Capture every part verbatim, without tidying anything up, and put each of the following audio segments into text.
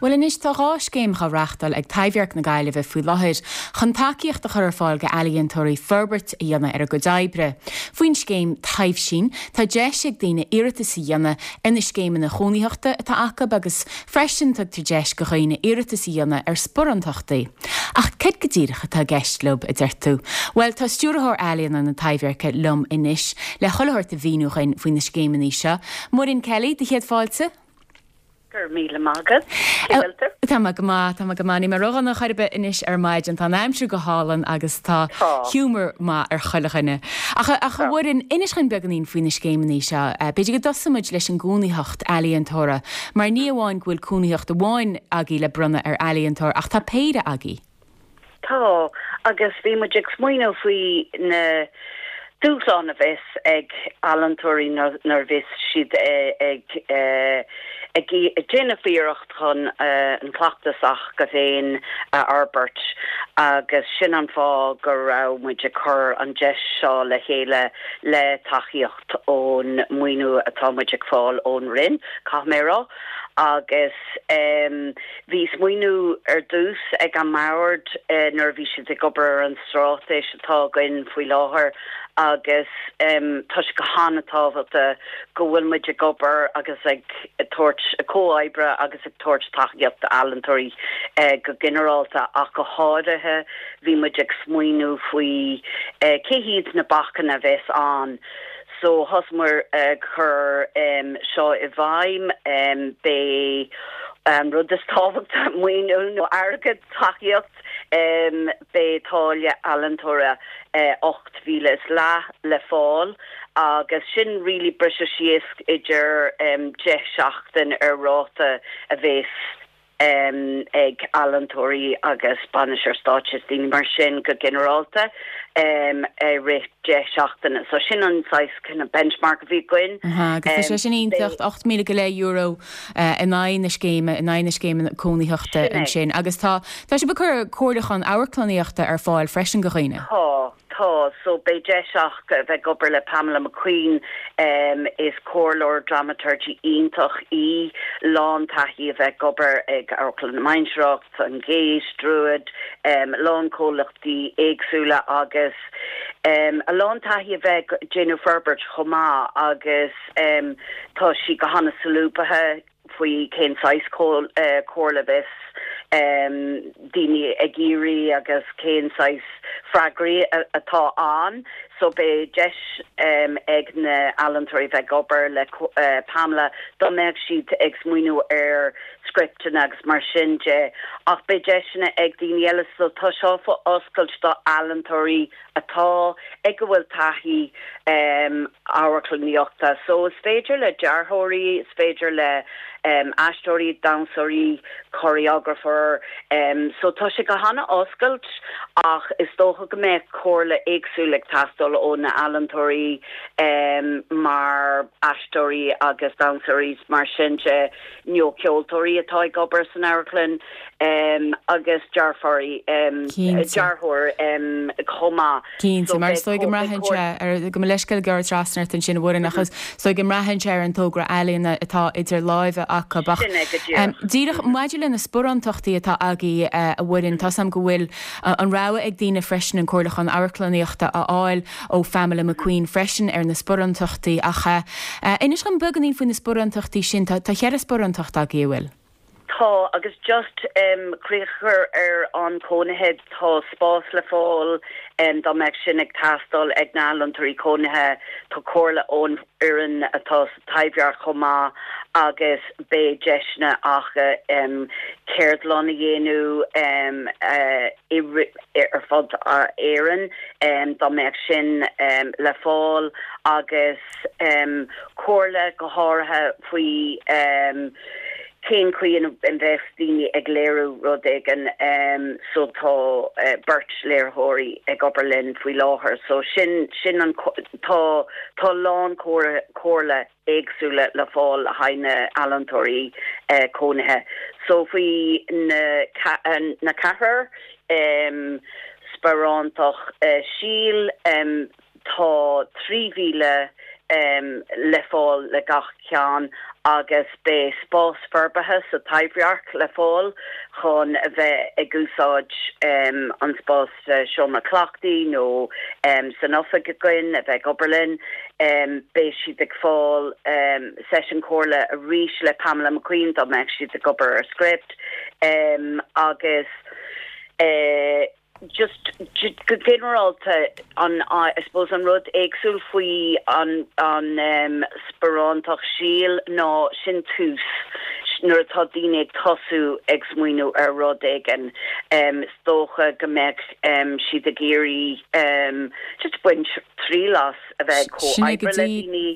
Bhuel anois tá dhá scéim á reáchtáil ag Taibhdhearc na Gaillimhe faoi láthair chun tacaíocht a chur ar fáil d'ealaíontóirí forbairt a dhéanamh ar a gcuid oibre. Faoin scéim Taibhsín tá deis ag daoine iarratas a dhéanamh ar na scéimeanna cónaitheachta atá acu agus freisin tugtar deis do dhaoine iarratas a dhéanamh ar sparántachtaí. Ach cad go díreach atá i gceist leo a deir tú. Well tá stiúrthóir ealaíona na Taibhdheirce liom anois le chuile shórt a mhíniú dhúinn faoi na scéimeanna seo. Muireann Kelly do chéad fáilte? Gur míle maith. Tá go maith tá go maith ní mar an chuirbe inis ar maidin tá aimsir go hálainn agus tá giúmar maith ar chuile dhuine. Ach ach a Mhuireann inis dhúinn beagáinín faoi na scéimeanna seo, b'fhéidir go dtosóimid leis an gcónaitheacht ealaíontóra, mar ní amháin go bhfuil cónaitheacht amháin agaibh le bronnadh ar ealaíontóir ach tá péire agaibh. Tá agus bhí muid ag smaoineamh faoi na dúshlán a bheas ag ealaíontóirí nuair bheas siad ag ag déanamh iarracht chun an cleachtas s'acu féin a fhorbairt agus sin an fáth go raibh muid ag cur an deis seo le chéile le tacaíocht ón maoiniú atá muid ag fáil ón Roinn Caithfidh mé rá agus um, bhí smaoineamh ar dtús ag an mbord uh, nuair bhí siad ag obair ar an straitéis atá againn faoi láthair agus um, tá sé go han-tábhachtach go bhfuil muid ag obair agus ag tabhairt comhoibre agus ag tabhairt tacaíocht d'ealaíontóirí uh, go ginearálta ach go háirithe bhí muid ag smaoineamh faoi uh, cé hiad na bacanna a bheas ann. So thosaíomar uh, chur um, seo i bhfeidhm um, b'é um, rud is tábhachtaí maoiniú nó airgead tacaíocht um, b'é táille ealaíontóra uh, ocht míle is leath le fáil agus sin really briseadh síos idir um, deich seachtain ar ráta a bheas um, ag ealaíontóirí agus bainisteoir stáitse daoine mar sin go ginearálta um, rith deich seachtaine. So sin an saghas kind of benchmark a bhí againn. Agus sé sin iontach ocht míle go leith euro in aghaidh na scéime in aghaidh na scéime cónaitheachta ansin. agus tá tá sibh ag cur comhairliúchán amharclannaíochta ar fáil freisin do dhaoine. Tá tá so beidh deis acu bheith ag obair le Pamela McQueen um, is comhairleoir dramaturgy iontach í lán taithí a bheith ag obair ag Amharclann na Mainistreach an Gate Druid um, lán comhlachtaí éagsúla agus um, a lán taithí a bheith déanamh forbairt chomh maith agus um, tá sí go han-solúbtha faoi cén saghas comhairle a bheas um, daoine ag iarraidh agus cén saghas freagraí atá ann, so beidh deis um, ag na healaíontóirí bheith ag obair le uh, Pamela dá mbeadh siad ag smaoineamh ar scripteanna agus mar sin de ach beidh deiseanna ag daoine eile so tá seo oscailte do ealaíontóirí atá ag go bhfuil taithí um, amharclannaíochta. So is féidir le dearthóirí, is féidir le um, aisteoirí, damhsóirí, choreographer, um, so tá sé go han-oscailte ach is dócha go mbeidh comhairle éagsúil ag teastáil ó na healaíontóirí um, mar aisteoirí agus damhsóirí mar sin de nó ceoltóirí atá ag obair san amharclann um, agus dearthóirí um, dearthóir um, chomh maith. Cinnte mar is go mbraitheann sé ar go leisce gur trasna sin bhhuian achas so go mbraitheann sé ar an togra ealaíne atá idir láimhe acu ach díreach maidir le na sparántachtaí atá agaibh a Mhuireann tá am go bhfuil an rogha ag daoine freisin an comhairliúchán amharclannaíochta a fháil ó Pamela McQueen freisin ar na sparántachtaí ach inis dhom beagáinín faoi na sparántachtaí sin tá cheithre sparántacht agaibh bhfuil. Tá agus just um, críoch a chur ar an cónaithe tá spás le fáil um, dá mbeadh sin ag teastáil ag na healaíontóirí cónaithe tá comhairle ón fhoireann atá Taibhdhearc chomh maith agus beidh deiseanna acu um, ceardlann a dhéanamh um, uh, ar fud Éireann um, dá mbeadh sin um, le fáil agus um, comhairle go háirithe faoi um, cén chaoi a mbeadh daoine ag léiriú rud éigin um, so tá uh, beirt léiritheoirí ag obair linn faoi láthair so sin sin an tá tá lán comhairle éagsúla le fáil le haghaidh na healaíontóirí uh, cónaithe so faoi na na ceathair um, sparántacht uh, síl um, tá trí mhíle um, le fáil le gach ceann agus beidh spás forbartha sa Taibhdhearc le fáil chun a bheith ag úsáid um, an spás uh, seomra cleachtaidh nó um, san oifig againn a bheith ag obair linn um, beidh siad ag fáil um, seisiún comhairle arís le Pamela McQueen dá mbeadh siad ag obair ar script um, agus uh, just go ginearálta an I suppose an rud éagsúil faoi an an um, sparántacht síl ná sin tús nuair atá daoine ag tosú ag smaoineamh ar rud éigin um, is dócha go mbeadh um, siad ag iarraidh um, just baint triail as a bheith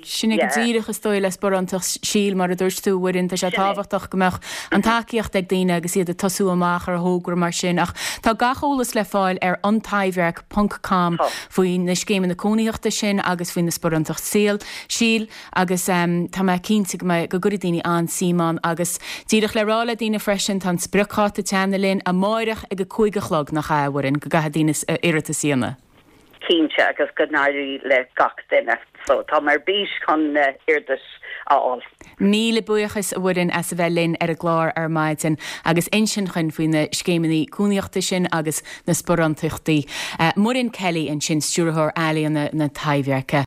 Sin go díreach is dóigh le sparántacht síl mar a dúirt tú Mhuireann tá sé tábhachtach go mbeadh an tacaíocht ag daoine agus iad ag tosú amach ar thogra mar sin ach tá gach eolas le fáil ar antaibhdhearc.com faoi na scéimeanna cónaíochta sin agus faoi na sparántacht síl síl agus um, tá mé cinnte go go gcuirfidh daoine an-suim ann agus díreach le rá le daoine freisin tá spriocdháta teanna linn amárach ag a cúig a chlog nach ea a Mhuireann go gcaithfidh daoine iarratas a dhéanamh. Cinnte agus go n-éirí le gach duine, so tá ar bís chun uh, iarratas a fháil. Míle buíochas a Mhuireann as a bheith linn ar an gclár ar maidin agus insint dúinn faoi na scéimeanna cónaíochta sin agus na sparántachtaí. Uh, Muireann Kelly ansin stiúrthóir ealaíon na Taibhdheirce.